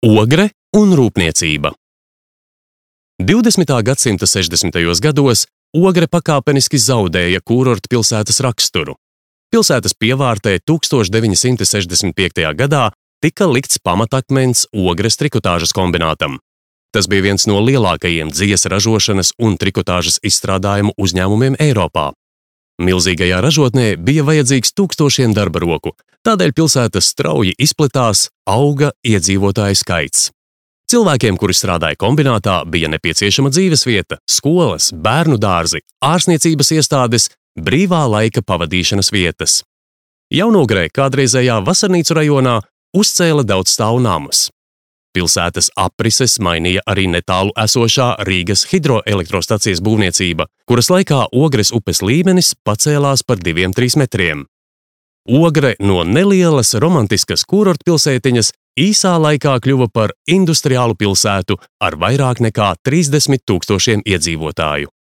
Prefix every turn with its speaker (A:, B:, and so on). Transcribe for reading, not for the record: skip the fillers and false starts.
A: Ogre un rūpniecība. 20. gadsimta 60. gados Ogre pakāpeniski zaudēja kurortu pilsētas raksturu. Pilsētas pievārtē 1965. gadā tika likts pamatakmens Ogres trikotāžas kombinātam. Tas bija viens no lielākajiem dzies ražošanas un trikotāžas izstrādājumu uzņēmumiem Eiropā. Milzīgajā ražotnē bija vajadzīgs tūkstošiem darba roku, tādēļ pilsētas strauji izplatās, auga iedzīvotāju skaits. Cilvēkiem, kuri strādāja kombinātā, bija nepieciešama dzīvesvieta, skolas, bērnu dārzi, ārstniecības iestādes, brīvā laika pavadīšanas vietas. Jaunogrē kādreizējā Vasarnīcu rajonā uzcēla daudzstāvu namus. Pilsētas aprises mainīja arī netālu esošā Rīgas hidroelektrostacijas būvniecība, kuras laikā Ogres upes līmenis pacēlās par 2–3 metriem. Ogre no nelielas romantiskas kurortpilsētiņas īsā laikā kļuva par industriālu pilsētu ar vairāk nekā 30 000 iedzīvotāju.